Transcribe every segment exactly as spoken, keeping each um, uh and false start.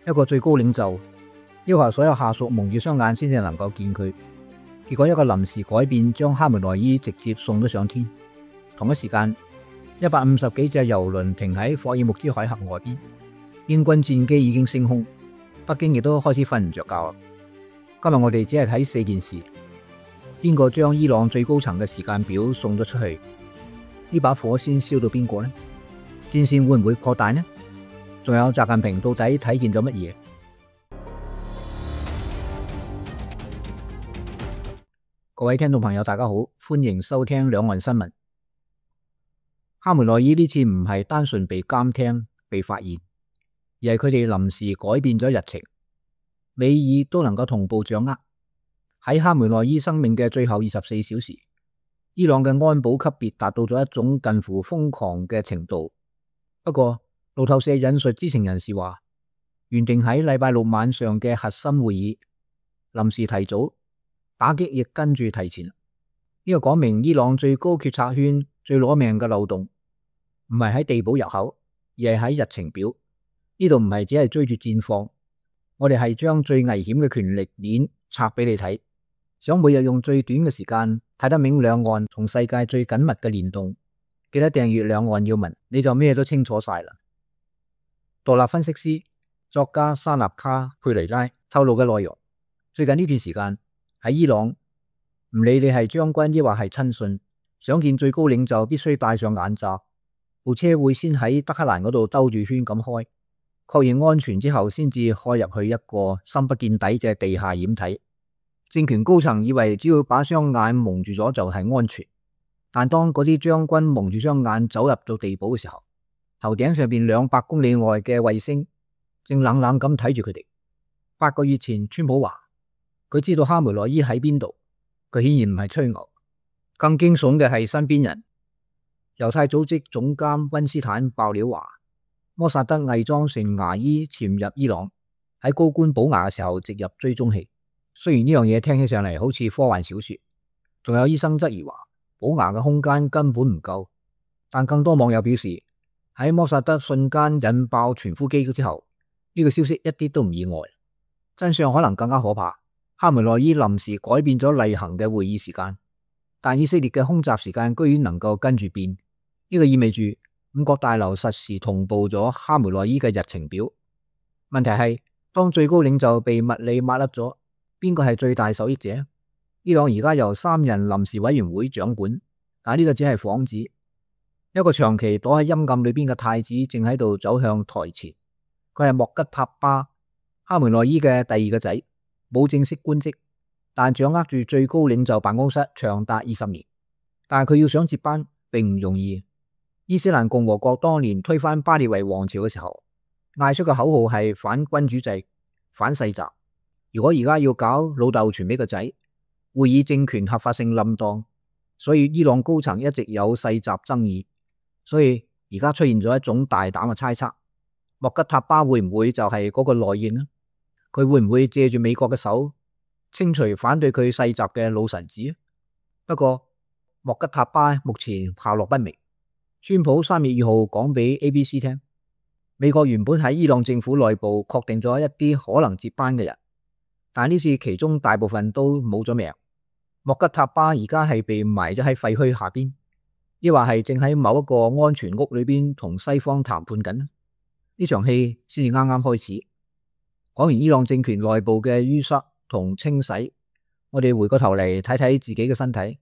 一個最高領袖要求所有下屬蒙住雙眼先至能夠見佢，結果一個臨時改變將哈梅內伊直接送咗上天。同一時間，一百五十幾隻郵輪停喺霍爾木茲海峽外邊，英軍戰機已經升空，北京亦都開始瞓唔着覺啦。今日我哋只係睇四件事，邊個將伊朗最高層嘅時間表送咗出去？呢把火先燒到邊個呢？戰線會唔會擴大呢？仲有習近平到底睇見咗乜嘢？各位聽眾朋友大家好，歡迎收聽兩岸新聞。哈梅內伊呢次唔係單純被監聽被發現，而係佢哋臨時改變咗日程，美伊都能夠同步掌握。喺哈梅內伊生命嘅最後二十四小時，伊朗嘅安保級別達到咗一種近乎瘋狂嘅程度。不過路透社引述知情人士話，原定喺禮拜六晚上嘅核心會議臨時提早，打擊亦跟住提前。呢個講明伊朗最高決策圈最攞命嘅漏洞，唔係喺地堡入口，而係喺日程表。呢度唔係只係追住戰況，我哋係將最危險嘅權力鏈拆俾你睇，想每日用最短嘅時間睇得明兩岸同世界最緊密嘅聯動。記得訂閱兩岸要聞，你就咩都清楚晒啦。獨立分析師作家沙納卡佩雷拉透露嘅內容，最近呢段時間喺伊朗，唔理你係將軍抑或係親信，想見最高領袖必須戴上眼罩，部車會先喺德黑蘭嗰度兜住圈咁開，確認安全之後先至開入去一個深不見底嘅地下掩體。政權高層以為只要把雙眼蒙住咗就係安全，但當嗰啲將軍蒙住雙眼走入到地堡嘅時候，頭頂上邊兩百公里外嘅衛星正冷冷咁睇住佢哋。八個月前，川普話佢知道哈梅內伊喺邊度，佢顯然唔係吹牛。更驚悚嘅係身邊人，猶太組織總監溫斯坦爆料話，摩薩德偽裝成牙醫潛入伊朗，喺高官補牙嘅時候植入追蹤器。雖然呢樣嘢聽起上嚟好似科幻小說，仲有醫生質疑話補牙嘅空間根本唔夠，但更多網友表示喺摩薩德瞬間引爆傳呼機之後，呢個消息一啲都唔意外。真相可能更加可怕，哈梅內伊臨時改變咗例行嘅會議時間，但以色列嘅空襲時間居然能夠跟住變，呢個意味住五角大樓實時同步咗哈梅內伊嘅日程表。問題係當最高領袖被物理抹甩咗，邊個係最大受益者？伊朗而家由三人臨時委員會掌管，但呢個只係幌子。一個長期躲喺陰暗裏邊嘅太子正喺度走向台前，佢係莫吉塔巴，哈梅內伊嘅第二個仔，冇正式官職，但掌握住最高領袖辦公室長達二十年。但係佢要想接班並唔容易。伊斯蘭共和國當年推翻巴列維王朝嘅時候，嗌出嘅口號係反君主制、反世襲。如果而家要搞老豆傳俾個仔，會議政權合法性冧檔，所以伊朗高層一直有世襲爭議。所以而家出現咗一種大膽嘅猜測，莫吉塔巴會唔會就係嗰個內應呢？佢會唔會借住美國嘅手清除反對佢世襲嘅老臣子？不過莫吉塔巴目前下落不明。川普三月二號講俾 A B C 聽，美國原本喺伊朗政府內部確定咗一啲可能接班嘅人，但呢次其中大部分都冇咗命。莫吉塔巴而家係被埋咗喺廢墟下邊，抑或係正喺某一個安全屋裏邊同西方談判緊。呢場戲先至啱啱開始。講完伊朗政權內部嘅淤塞同清洗，我哋回過頭嚟睇睇自己嘅身體。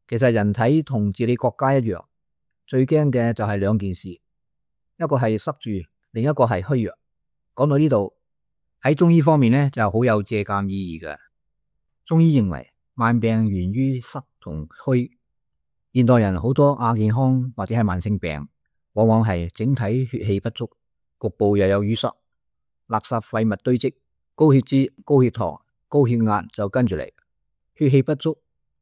其實人體同治理國家一樣，最驚嘅就係兩件事，一個係塞住，另一個係虛弱。講到呢度，喺中醫方面呢就好有借鑒意義嘅。中醫認為萬病源於塞同虛。現代人好多亞健康或者係慢性病，往往係整體血氣不足，局部又有淤塞，垃圾廢物堆積，高血脂、高血糖、高血壓就跟住嚟。血氣不足，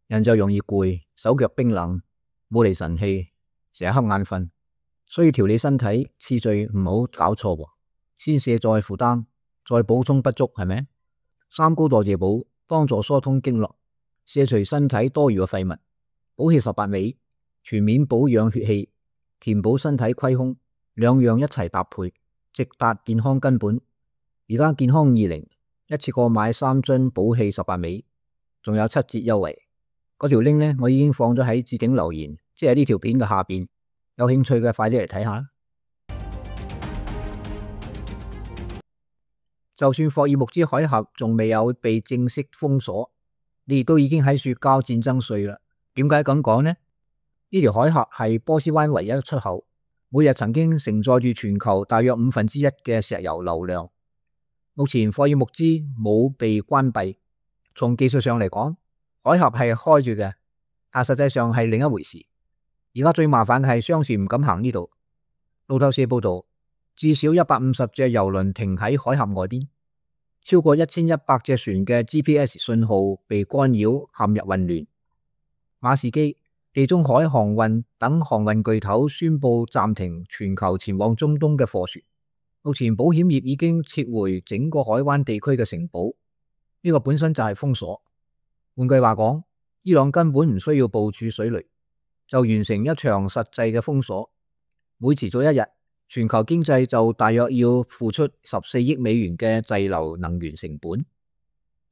人就容易攰，手腳冰冷，冇嚟神氣，成日瞌眼瞓。所以調理身體次序唔好搞錯，先卸載負擔，再補充不足，係咪？三高代謝補幫助疏通經絡，卸除身體多餘嘅廢物，補氣十八味，全面保養血氣，填補身體虧空，兩樣一齊搭配，直達健康根本。而家健康二零一次過買三樽寶氣十八味，仲有七折優惠。嗰條 link 呢，我已經放咗喺置頂留言，即係呢條片嘅下邊。有興趣嘅快啲嚟睇下啦。就算霍爾木茲海峽仲未有被正式封鎖，你亦都已經喺說交戰爭稅啦。點解咁講呢？呢條海峽係波斯灣唯一出口，每日曾經承載住全球大約五分之一嘅石油流量。目前霍爾木茲冇被關閉，從技術上嚟講，海峽係開住嘅，但實際上係另一回事。而家最麻煩嘅係商船唔敢行呢度。路透社報道，至少一百五十隻郵輪停喺海峽外邊，超過一千一百隻船嘅 G P S 信號被干擾，陷入混亂。馬士基、地中海航運等航運巨頭宣布暫停全球前往中東嘅貨船。目前保險業已經撤回整個海灣地區嘅承保，呢個本身就係封鎖。換句話講，伊朗根本唔需要部署水雷，就完成一場實際嘅封鎖。每遲早一日，全球經濟就大約要付出十四億美元嘅滯留能源成本。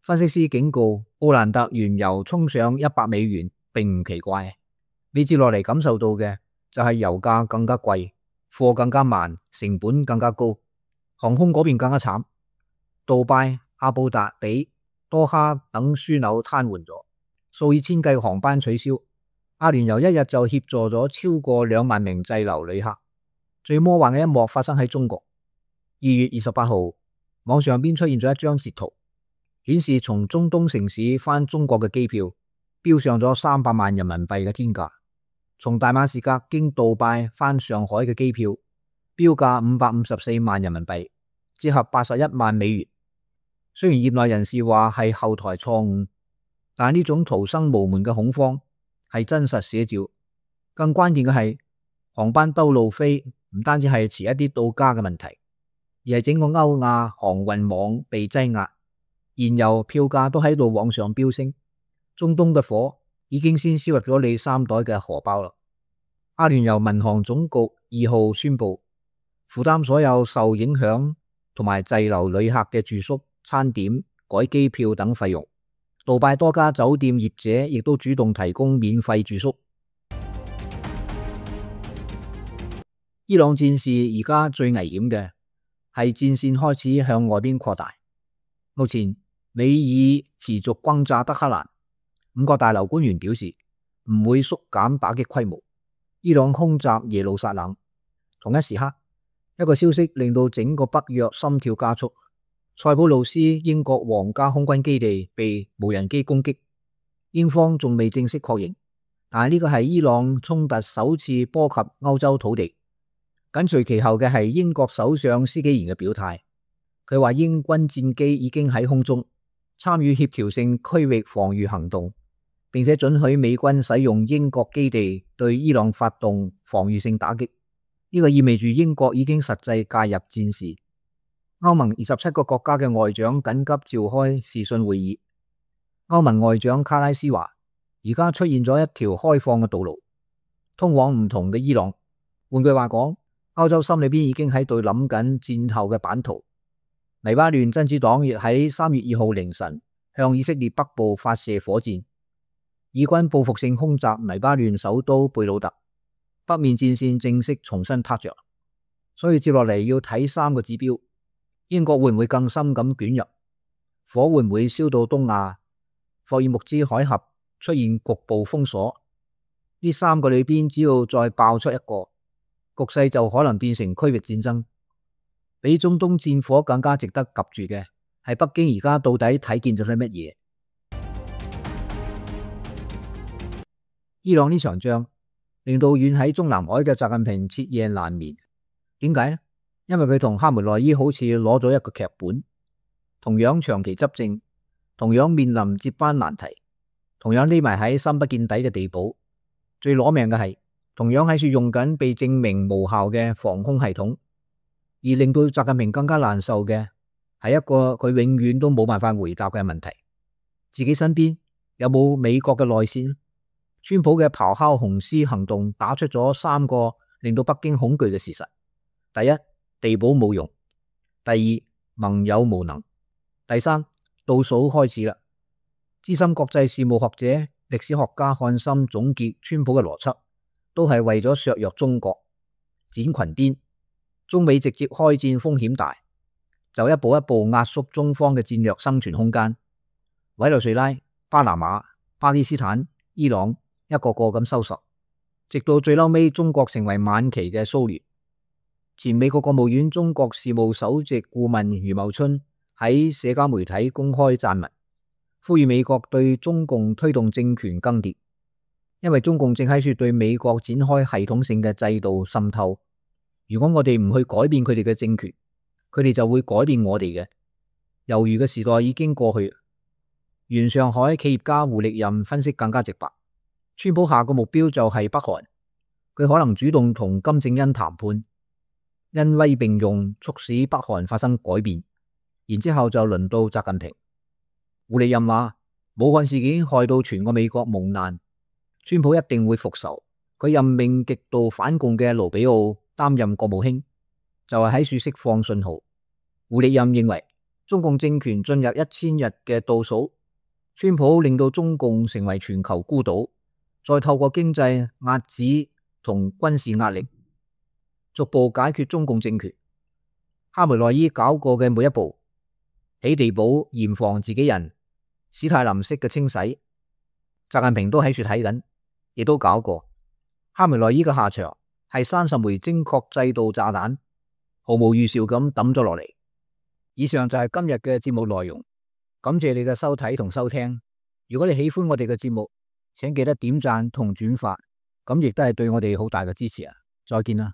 分析師警告，布蘭特原油衝上一百美元並唔奇怪。你接落嚟感受到嘅就係油價更加貴，貨更加慢，成本更加高。航空嗰邊更加慘，杜拜、阿布達比、多哈等樞紐癱瘓咗，數以千計航班取消。阿聯酋一日就協助咗超過兩萬名滯留旅客。最魔幻嘅一幕發生喺中國。二月二十八號，網上邊出現咗一張截圖，顯示從中東城市返中國嘅機票飆上咗三百萬人民幣嘅天價。從大馬士革經杜拜返上海嘅機票標價五百五十四萬人民幣，折合八十一萬美元。雖然業內人士話係後台錯誤，但呢種逃生無門嘅恐慌係真實寫照。更關鍵嘅係，航班兜路飛唔單止係遲一啲到家嘅問題，而係整個歐亞航運網被擠壓，燃油票價都喺度往上飆升。中東嘅火已經先燒入咗你三袋嘅荷包啦。阿聯酋民航總局二號宣布，負擔所有受影響同埋滯留旅客嘅住宿、餐點、改機票等費用。杜拜多家酒店業者亦都主動提供免費住宿。伊朗戰事而家最危險嘅係戰線開始向外邊擴大。目前美以持續轟炸德黑蘭，五角大樓官員表示唔會縮減打擊規模。伊朗空襲耶路撒冷，同一時刻，一個消息令到整個北約心跳加速。塞浦路斯英國皇家空軍基地被無人機攻擊，英方仲未正式確認，但係呢個係伊朗衝突首次波及歐洲土地。緊隨其後嘅係英國首相施紀賢嘅表態，佢話英軍戰機已經喺空中參與協調性區域防禦行動，並且准許美軍使用英國基地對伊朗發動防禦性打擊。呢個意味住英國已經實際介入戰事。歐盟二十七個國家嘅外長緊急召開視訊會議。歐盟外長卡拉斯話，而家出現咗一條開放嘅道路，通往唔同嘅伊朗。換句話講，歐洲心裏邊已經喺度諗緊戰後嘅版圖。黎巴嫩真主黨亦喺三月二號凌晨向以色列北部發射火箭，以軍報復性空襲黎巴嫩首都貝魯特，北面戰線正式重新撻着。所以接落嚟要睇三個指標：英國會唔會更深咁捲入？火會唔會燒到東亞？霍爾木茲海峽出現局部封鎖？呢三個裏邊只要再爆出一個，局勢就可能變成區域戰爭。比中東戰火更加值得及住嘅係北京而家到底睇見咗啲乜嘢？伊朗呢場仗令到遠喺中南海嘅習近平徹夜難眠。點解呢？因為佢同哈梅內伊好似攞咗一個劇本，同樣長期執政，同樣面臨接班難題，同樣匿埋喺深不見底嘅地堡。最攞命嘅係，同樣喺處用緊被證明無效嘅防空系統。而令到習近平更加難受嘅係一個佢永遠都冇辦法回答嘅問題：自己身邊有冇美國嘅內線？川普嘅咆哮雄獅行動打出咗三個令到北京恐懼嘅事實：第一，地堡冇用；第二，盟友無能。第三，倒數開始啦。資深國際事務學者、歷史學家漢森總結川普嘅邏輯，都係為咗削弱中國、剪裙顛。中美直接開戰風險大，就一步一步壓縮中方嘅戰略生存空間。委內瑞拉、巴拿馬、巴基斯坦、伊朗一個個咁收拾，直到最嬲尾，中國成為晚期嘅蘇聯。前美國國務院中國事務首席顧問余茂春喺社交媒體公開撰文，呼籲美國對中共推動政權更迭，因為中共正喺處對美國展開系統性嘅制度滲透。如果我哋唔去改變佢哋嘅政權，佢哋就會改變我哋嘅。猶豫嘅時代已經過去。原上海企業家胡力任分析更加直白，川普下個目標就係北韓，佢可能主動同金正恩談判，恩威並用，促使北韓發生改變，然之後就輪到習近平。胡力任話，武漢事件害到全個美國蒙難，川普一定會復仇。佢任命極度反共嘅盧比奧擔任國務卿，就係喺處釋放信號。胡力任認為，中共政權進入一千日嘅倒數，川普令到中共成為全球孤島，再透過經濟壓制同軍事壓力，逐步解決中共政權。哈梅內伊搞過嘅每一步，起地堡嚴防自己人，史泰林式嘅清洗，習近平都喺處睇緊，亦都搞過。哈梅內伊嘅下場係三十枚精確制導炸彈，毫無預兆咁抌咗落嚟。以上就係今日嘅節目內容。感謝你嘅收睇同收聽。如果你喜歡我哋嘅節目，請記得點讚同轉發，咁亦都係對我哋好大嘅支持啊！再見啦。